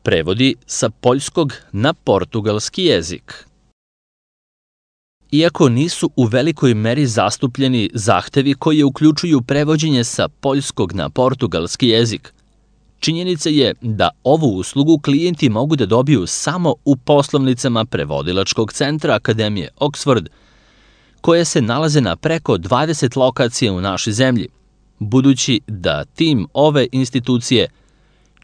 Prevodi sa poljskog na portugalski jezik. Iako nisu u velikoj meri zastupljeni zahtevi koji uključuju prevođenje sa poljskog na portugalski jezik, činjenica je da ovu uslugu klijenti mogu da dobiju samo u poslovnicama prevodilačkog centra Akademije Oxford, koje se nalaze na preko 20 lokacija u našoj zemlji, budući da tim ove institucije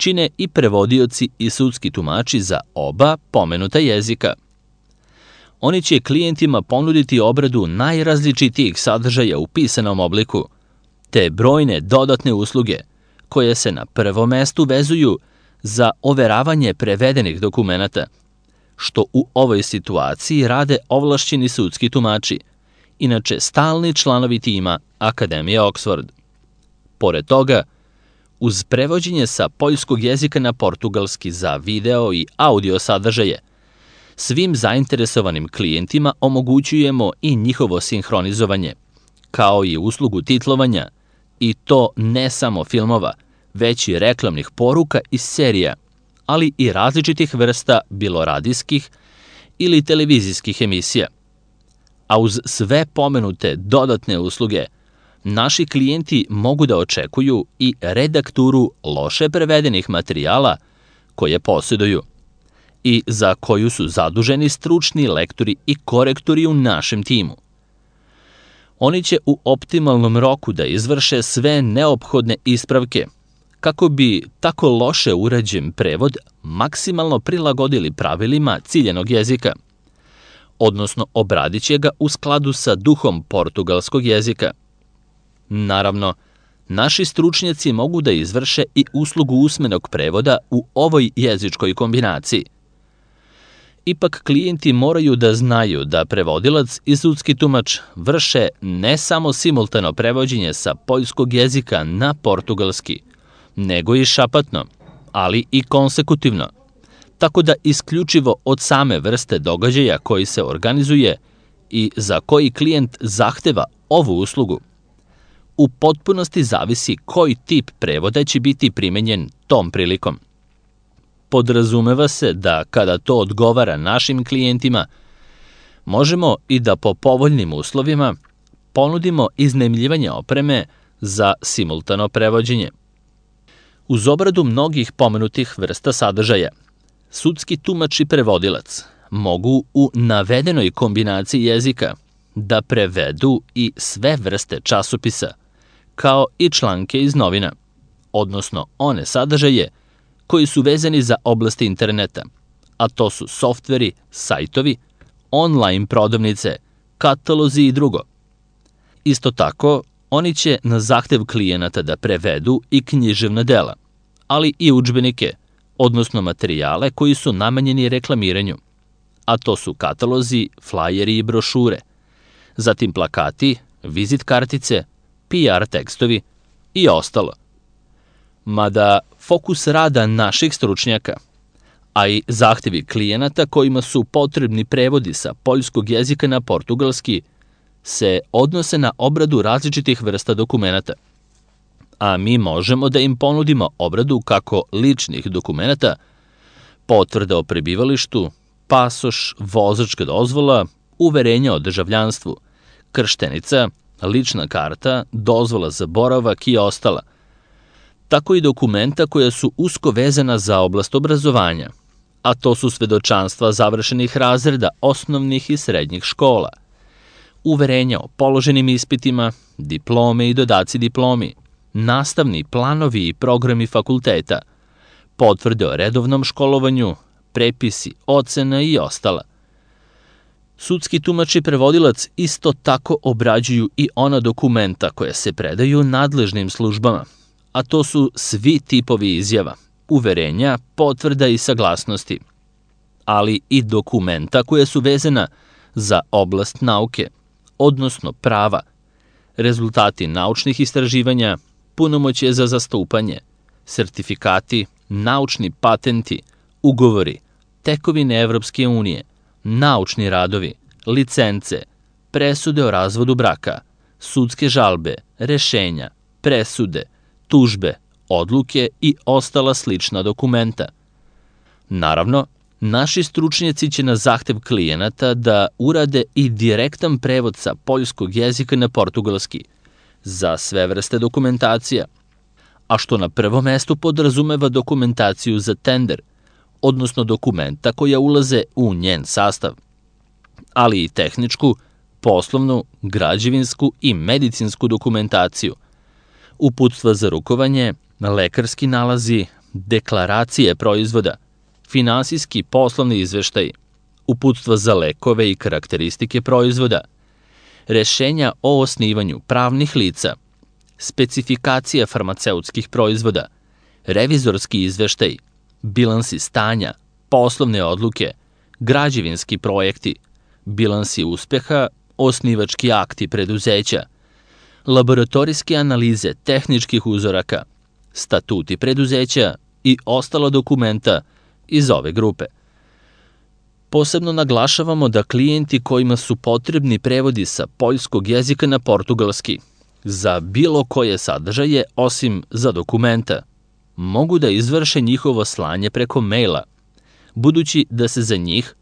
čine i prevodioci i sudski tumači za oba pomenuta jezika. Oni će klijentima ponuditi obradu najrazličitijih sadržaja u pisanom obliku, te brojne dodatne usluge koje se na prvom mestu vezuju za overavanje prevedenih dokumenata, što u ovoj situaciji rade ovlašćeni sudski tumači, inače stalni članovi tima Akademije Oxford. Pored toga, uz prevođenje sa poljskog jezika na portugalski za video i audio sadržaje, svim zainteresovanim klijentima omogućujemo i njihovo sinhronizovanje, kao i uslugu titlovanja, i to ne samo filmova, već i reklamnih poruka iz serija, ali i različitih vrsta bilo radijskih ili televizijskih emisija. A uz sve pomenute dodatne usluge, naši klijenti mogu da očekuju i redakturu loše prevedenih materijala koje posjeduju i za koju su zaduženi stručni lektori i korektori u našem timu. Oni će u optimalnom roku da izvrše sve neophodne ispravke kako bi tako loše urađen prevod maksimalno prilagodili pravilima ciljenog jezika, odnosno obradit će ga u skladu sa duhom portugalskog jezika. Naravno, naši stručnjaci mogu da izvrše i uslugu usmenog prevoda u ovoj jezičkoj kombinaciji. Ipak klijenti moraju da znaju da prevodilac i sudski tumač vrše ne samo simultano prevođenje sa poljskog jezika na portugalski, nego i šapatno, ali i konsekutivno, tako da isključivo od same vrste događaja koji se organizuje i za koji klijent zahteva ovu uslugu, u potpunosti zavisi koji tip prevoda će biti primenjen tom prilikom. Podrazumeva se da kada to odgovara našim klijentima, možemo i da po povoljnim uslovima ponudimo iznajmljivanje opreme za simultano prevođenje. Uz obradu mnogih pomenutih vrsta sadržaja, sudski tumač i prevodilac mogu u navedenoj kombinaciji jezika da prevedu i sve vrste časopisa, kao i članke iz novina, odnosno one sadržaje koji su vezani za oblasti interneta, a to su softveri, sajtovi, online prodavnice, katalozi i drugo. Isto tako, oni će na zahtev klijenata da prevedu i književna dela, ali i udžbenike, odnosno materijale koji su namenjeni reklamiranju, a to su katalozi, flajeri i brošure, zatim plakati, vizit kartice, PR tekstovi i ostalo. Mada fokus rada naših stručnjaka, a i zahtevi klijenata kojima su potrebni prevodi sa poljskog jezika na portugalski, se odnose na obradu različitih vrsta dokumenata, a mi možemo da im ponudimo obradu kako ličnih dokumenata, potvrda o prebivalištu, pasoš, vozačka dozvola, uverenja o državljanstvu, krštenica, lična karta, dozvola za boravak i ostala, tako i dokumenta koja su usko vezana za oblast obrazovanja, a to su svedočanstva završenih razreda osnovnih i srednjih škola, uverenja o položenim ispitima, diplome i dodaci diplomi, nastavni planovi i programi fakulteta, potvrde o redovnom školovanju, prepisi, ocena i ostala. Sudski tumač i prevodilac isto tako obrađuju i ona dokumenta koja se predaju nadležnim službama, a to su svi tipovi izjava, uverenja, potvrda i saglasnosti, ali i dokumenta koja su vezana za oblast nauke, odnosno prava, rezultati naučnih istraživanja, punomoćje za zastupanje, sertifikati, naučni patenti, ugovori, tekovine Evropske unije, naučni radovi, licence, presude o razvodu braka, sudske žalbe, rešenja, presude, tužbe, odluke i ostala slična dokumenta. Naravno, naši stručnjaci će na zahtev klijenata da urade i direktan prevod sa poljskog jezika na portugalski za sve vrste dokumentacija, a što na prvom mestu podrazumeva dokumentaciju za tender, odnosno dokumenta koja ulaze u njen sastav, ali i tehničku, poslovnu, građevinsku i medicinsku dokumentaciju, uputstva za rukovanje, lekarski nalazi, deklaracije proizvoda, finansijski poslovni izveštaj, uputstva za lekove i karakteristike proizvoda, rešenja o osnivanju pravnih lica, specifikacija farmaceutskih proizvoda, revizorski izveštaj, bilansi stanja, poslovne odluke, građevinski projekti, bilansi uspeha, osnivački akti preduzeća, laboratorijske analize tehničkih uzoraka, statuti preduzeća i ostala dokumenta iz ove grupe. Posebno naglašavamo da klijenti kojima su potrebni prevodi sa poljskog jezika na portugalski za bilo koje sadržaje osim za dokumenta mogu da izvrše njihovo slanje preko maila, budući da se za njih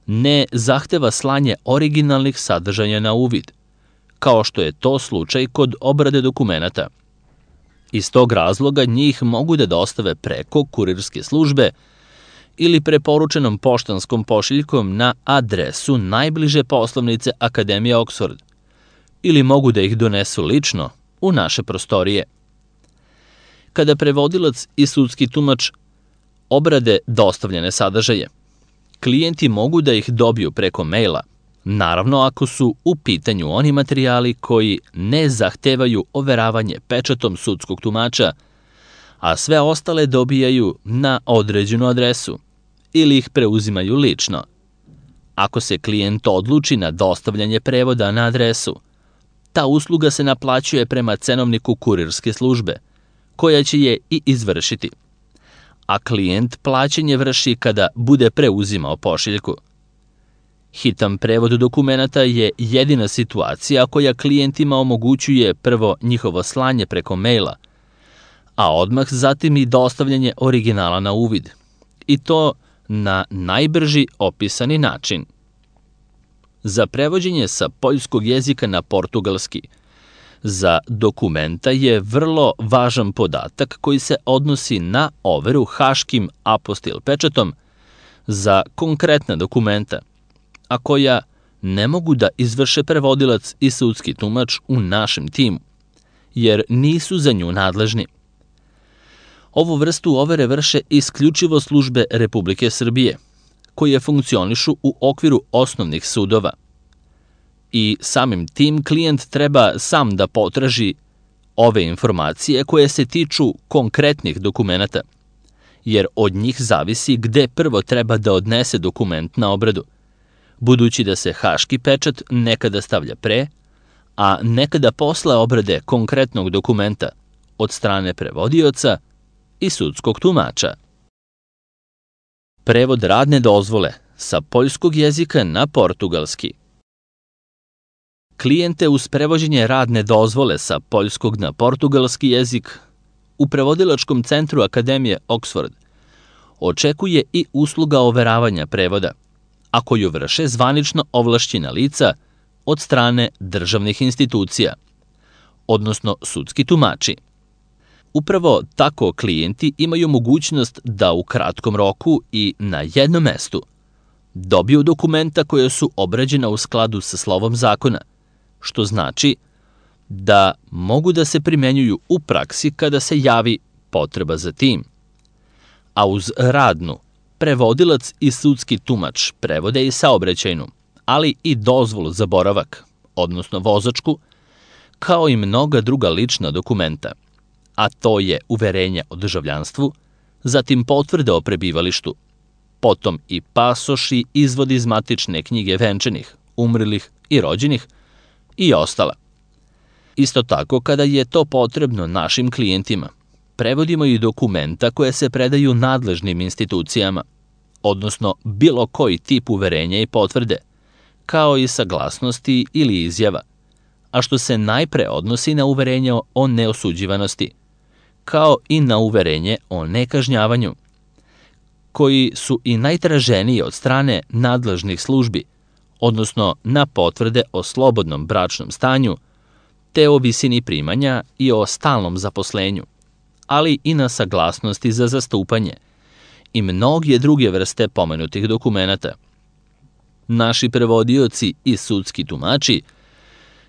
ne zahteva slanje originalnih sadržaja na uvid, kao što je to slučaj kod obrade dokumenata. Iz tog razloga njih mogu da dostave preko kurirske službe ili preporučenom poštanskom pošiljkom na adresu najbliže poslovnice Akademije Oxford, ili mogu da ih donesu lično u naše prostorije. Kada prevodilac i sudski tumač obrade dostavljene sadržaje, klijenti mogu da ih dobiju preko maila, naravno ako su u pitanju oni materijali koji ne zahtevaju overavanje pečatom sudskog tumača, a sve ostale dobijaju na određenu adresu ili ih preuzimaju lično. Ako se klijent odluči na dostavljanje prevoda na adresu, ta usluga se naplaćuje prema cenovniku kurirske službe, koja će je i izvršiti, a klijent plaćanje vrši kada bude preuzimao pošiljku. Hitan prevod dokumenata je jedina situacija koja klijentima omogućuje prvo njihovo slanje preko maila, a odmah zatim i dostavljanje originala na uvid, i to na najbrži opisani način. Za prevođenje sa poljskog jezika na portugalski za dokumenta je vrlo važan podatak koji se odnosi na overu haškim apostil pečatom za konkretna dokumenta, a koja ne mogu da izvrše prevodilac i sudski tumač u našem timu, jer nisu za nju nadležni. Ovu vrstu overe vrše isključivo službe Republike Srbije, koje funkcionišu u okviru osnovnih sudova. I samim tim klijent treba sam da potraži ove informacije koje se tiču konkretnih dokumenata, jer od njih zavisi gde prvo treba da odnese dokument na obradu, budući da se haški pečat nekada stavlja pre, a nekada posle obrade konkretnog dokumenta od strane prevodioca i sudskog tumača. Prevod radne dozvole sa poljskog jezika na portugalski. Klijente uz prevođenje radne dozvole sa poljskog na portugalski jezik u prevodilačkom centru Akademije Oxford očekuje i usluga overavanja prevoda, a koju vrše zvanično ovlašćena lica od strane državnih institucija, odnosno sudski tumači. Upravo tako klijenti imaju mogućnost da u kratkom roku i na jednom mestu dobiju dokumenta koja su obrađena u skladu sa slovom zakona, što znači da mogu da se primenjuju u praksi kada se javi potreba za tim. A uz radnu, prevodilac i sudski tumač prevode i saobraćajnu, ali i dozvolu za boravak, odnosno vozačku, kao i mnoga druga lična dokumenta, a to je uverenje o državljanstvu, zatim potvrde o prebivalištu, potom i pasoši, izvodi iz matične knjige venčanih, umrlih i rođenih i ostala. Isto tako, kada je to potrebno našim klijentima, prevodimo i dokumenta koje se predaju nadležnim institucijama, odnosno bilo koji tip uverenja i potvrde, kao i saglasnosti ili izjava, a što se najpre odnosi na uverenje o neosuđivanosti, kao i na uverenje o nekažnjavanju, koji su i najtraženiji od strane nadležnih službi, odnosno na potvrde o slobodnom bračnom stanju, te o visini primanja i o stalnom zaposlenju, ali i na saglasnosti za zastupanje i mnoge druge vrste pomenutih dokumenata. Naši prevodioci i sudski tumači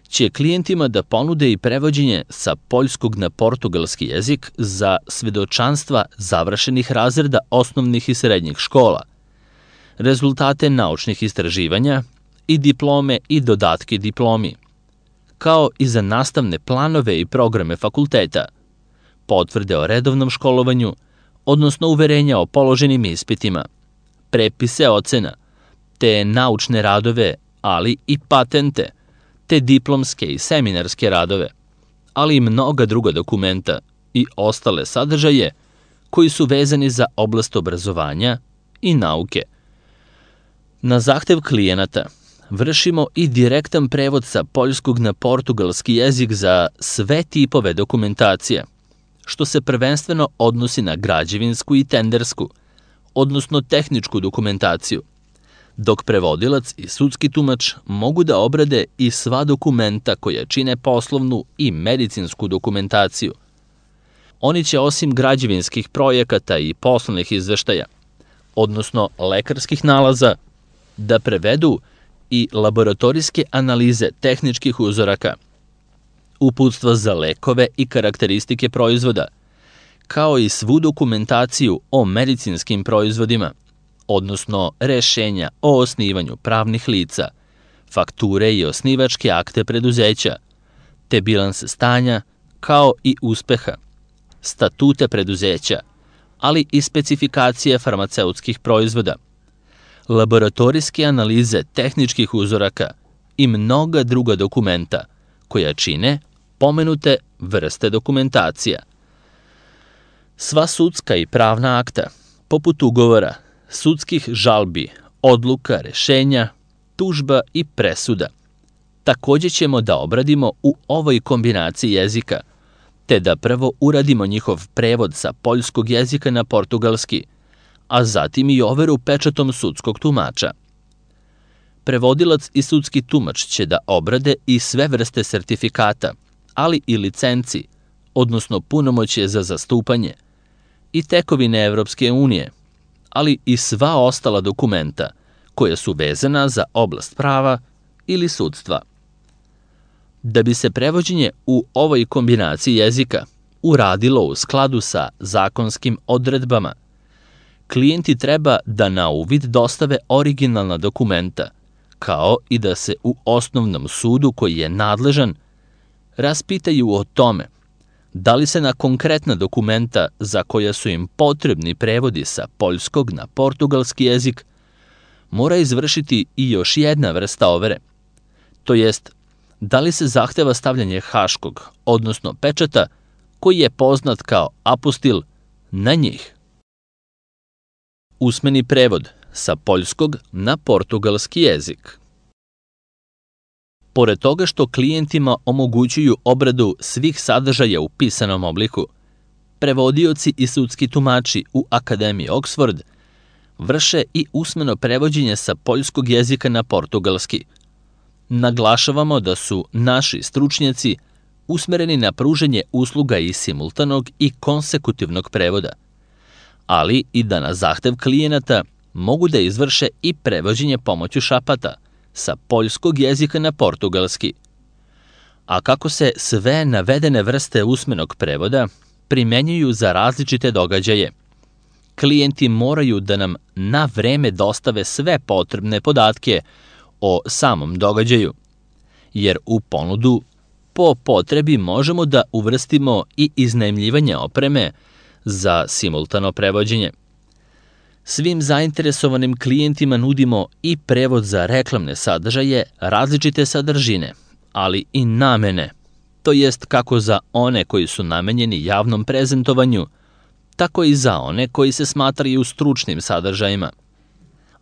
će klijentima da ponude i prevođenje sa poljskog na portugalski jezik za svedočanstva završenih razreda osnovnih i srednjih škola, rezultate naučnih istraživanja i diplome i dodatke diplomi, kao i za nastavne planove i programe fakulteta, potvrde o redovnom školovanju, odnosno uverenja o položenim ispitima, prepise ocena, te naučne radove, ali i patente, te diplomske i seminarske radove, ali i mnoga druga dokumenta i ostale sadržaje koji su vezani za oblast obrazovanja i nauke. Na zahtev klijenata vršimo i direktan prevod sa poljskog na portugalski jezik za sve tipove dokumentacije, što se prvenstveno odnosi na građevinsku i tendersku, odnosno tehničku dokumentaciju, dok prevodilac i sudski tumač mogu da obrade i sva dokumenta koja čine poslovnu i medicinsku dokumentaciju. Oni će osim građevinskih projekata i poslovnih izveštaja, odnosno lekarskih nalaza, da prevedu i laboratorijske analize tehničkih uzoraka, uputstva za lekove i karakteristike proizvoda, kao i svu dokumentaciju o medicinskim proizvodima, odnosno rešenja o osnivanju pravnih lica, fakture i osnivačke akte preduzeća, te bilanse stanja, kao i uspeha, statute preduzeća, ali i specifikacije farmaceutskih proizvoda, laboratorijske analize tehničkih uzoraka i mnoga druga dokumenta koja čine pomenute vrste dokumentacija. Sva sudska i pravna akta, poput ugovora, sudskih žalbi, odluka, rešenja, tužba i presuda, takođe ćemo da obradimo u ovoj kombinaciji jezika, te da prvo uradimo njihov prevod sa poljskog jezika na portugalski, a zatim i overu pečatom sudskog tumača. Prevodilac i sudski tumač će da obrade i sve vrste sertifikata, ali i licenci, odnosno punomoćje za zastupanje, i tekovine Evropske unije, ali i sva ostala dokumenta koja su vezana za oblast prava ili sudstva. Da bi se prevođenje u ovoj kombinaciji jezika uradilo u skladu sa zakonskim odredbama, klijenti treba da na uvid dostave originalna dokumenta, kao i da se u osnovnom sudu koji je nadležan raspitaju o tome da li se na konkretna dokumenta za koja su im potrebni prevodi sa poljskog na portugalski jezik mora izvršiti i još jedna vrsta overe, to jest da li se zahteva stavljanje haškog, odnosno pečata, koji je poznat kao apostil, na njih. Usmeni prevod sa poljskog na portugalski jezik. Pored toga što klijentima omogućuju obradu svih sadržaja u pisanom obliku, prevodioci i sudski tumači u Akademiji Oxford vrše i usmeno prevođenje sa poljskog jezika na portugalski. Naglašavamo da su naši stručnjaci usmereni na pruženje usluga i simultanog i konsekutivnog prevoda, ali i da na zahtev klijenata mogu da izvrše i prevođenje pomoću šapata sa poljskog jezika na portugalski. A kako se sve navedene vrste usmenog prevoda primenjuju za različite događaje, klijenti moraju da nam na vreme dostave sve potrebne podatke o samom događaju, jer u ponudu po potrebi možemo da uvrstimo i iznajmljivanje opreme za simultano prevođenje. Svim zainteresovanim klijentima nudimo i prevod za reklamne sadržaje različite sadržine, ali i namene, to jest kako za one koji su namenjeni javnom prezentovanju, tako i za one koji se smatraju stručnim sadržajima.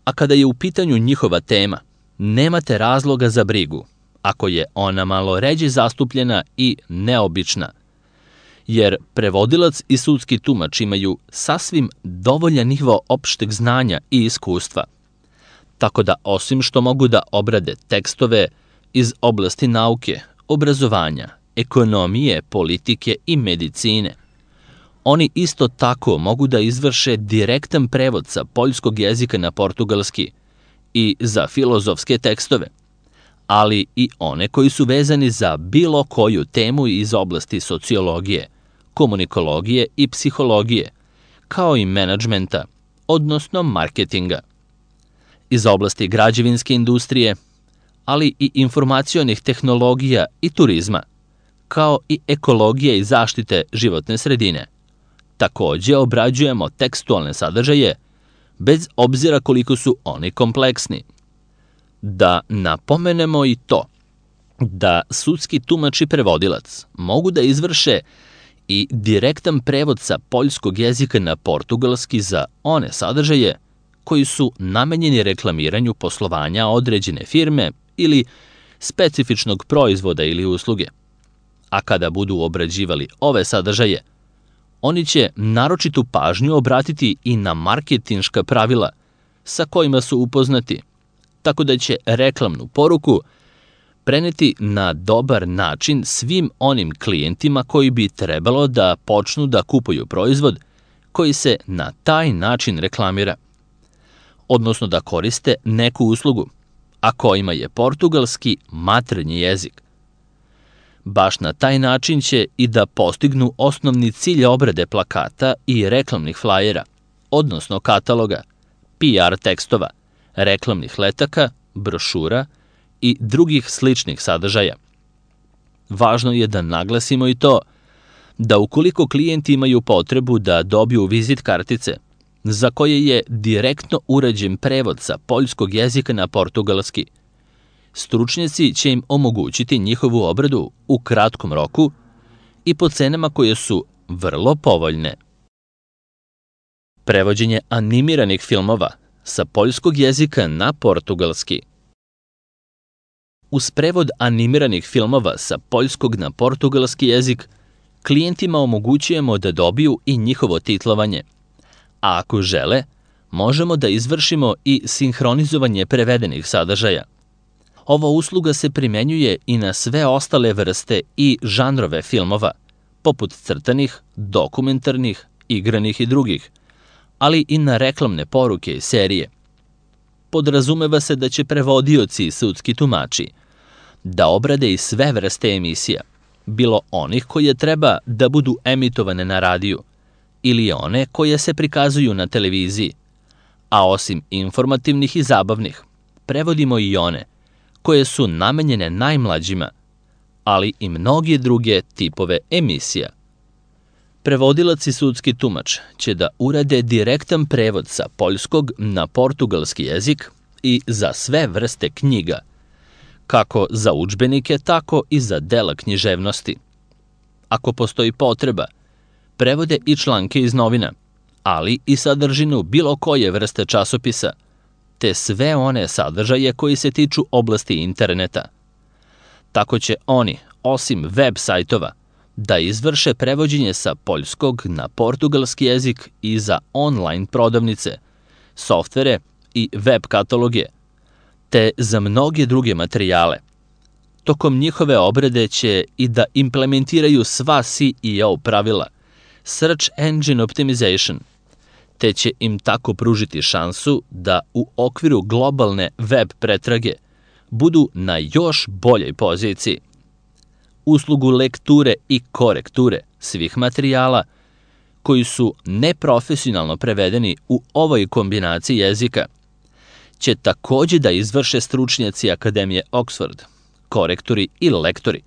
A kada je u pitanju njihova tema, nemate razloga za brigu, ako je ona malo ređe zastupljena i neobična, jer prevodilac i sudski tumač imaju sasvim dovoljan nivo opšteg znanja i iskustva, tako da osim što mogu da obrade tekstove iz oblasti nauke, obrazovanja, ekonomije, politike i medicine, oni isto tako mogu da izvrše direktan prevod sa poljskog jezika na portugalski i za filozofske tekstove, ali i one koji su vezani za bilo koju temu iz oblasti sociologije, komunikologije i psihologije, kao i menadžmenta, odnosno marketinga. Iz oblasti građevinske industrije, ali i informacionih tehnologija i turizma, kao i ekologije i zaštite životne sredine. Takođe obrađujemo tekstualne sadržaje, bez obzira koliko su oni kompleksni. Da napomenemo i to, da sudski tumač i prevodilac mogu da izvrše i direktan prevod sa poljskog jezika na portugalski za one sadržaje koji su namenjeni reklamiranju poslovanja određene firme ili specifičnog proizvoda ili usluge. A kada budu obrađivali ove sadržaje, oni će naročitu pažnju obratiti i na marketinška pravila sa kojima su upoznati, tako da će reklamnu poruku preneti na dobar način svim onim klijentima koji bi trebalo da počnu da kupuju proizvod koji se na taj način reklamira, odnosno da koriste neku uslugu, a kojima je portugalski maternji jezik. Baš na taj način će i da postignu osnovni cilj obrade plakata i reklamnih flajera, odnosno kataloga, PR tekstova, reklamnih letaka, brošura i drugih sličnih sadržaja. Važno je da naglasimo i to da ukoliko klijenti imaju potrebu da dobiju vizit kartice, za koje je direktno urađen prevod sa poljskog jezika na portugalski, stručnjaci će im omogućiti njihovu obradu u kratkom roku i po cenama koje su vrlo povoljne. Prevođenje animiranih filmova sa poljskog jezika na portugalski. Uz prevod animiranih filmova sa poljskog na portugalski jezik, klijentima omogućujemo da dobiju i njihovo titlovanje, a ako žele, možemo da izvršimo i sinhronizovanje prevedenih sadržaja. Ova usluga se primenjuje i na sve ostale vrste i žanrove filmova, poput crtanih, dokumentarnih, igranih i drugih, ali i na reklamne poruke i serije. Podrazumeva se da će prevodioci i sudski tumači da obrade i sve vrste emisija, bilo onih koje treba da budu emitovane na radiju ili one koje se prikazuju na televiziji, a osim informativnih i zabavnih, prevodimo i one koje su namenjene najmlađima, ali i mnoge druge tipove emisija. Prevodilac i sudski tumač će da urade direktan prevod sa poljskog na portugalski jezik i za sve vrste knjiga, kako za udžbenike, tako i za dela književnosti. Ako postoji potreba, prevode i članke iz novina, ali i sadržinu bilo koje vrste časopisa, te sve one sadržaje koji se tiču oblasti interneta. Tako će oni, osim web sajtova, da izvrše prevođenje sa poljskog na portugalski jezik i za online prodavnice, softvere i web kataloge, te za mnoge druge materijale. Tokom njihove obrade će i da implementiraju sva SEO pravila, Search Engine Optimization, te će im tako pružiti šansu da u okviru globalne web pretrage budu na još boljoj poziciji. Uslugu lekture i korekture svih materijala koji su neprofesionalno prevedeni u ovoj kombinaciji jezika će takođe da izvrše stručnjaci Akademije Oxford, korektori i lektori,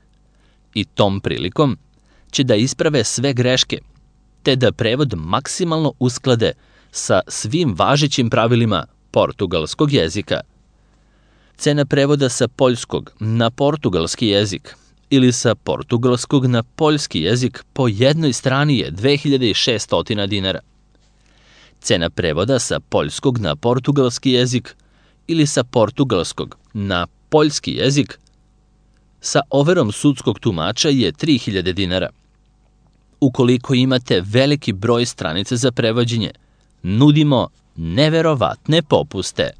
i tom prilikom će da isprave sve greške, te da prevod maksimalno usklade sa svim važećim pravilima portugalskog jezika. Cena prevoda sa poljskog na portugalski jezik ili sa portugalskog na poljski jezik po jednoj strani je 2600 dinara. Cena prevoda sa poljskog na portugalski jezik ili sa portugalskog na poljski jezik sa overom sudskog tumača je 3000 dinara. ukoliko imate veliki broj stranica za prevođenje. Nudimo neverovatne popuste.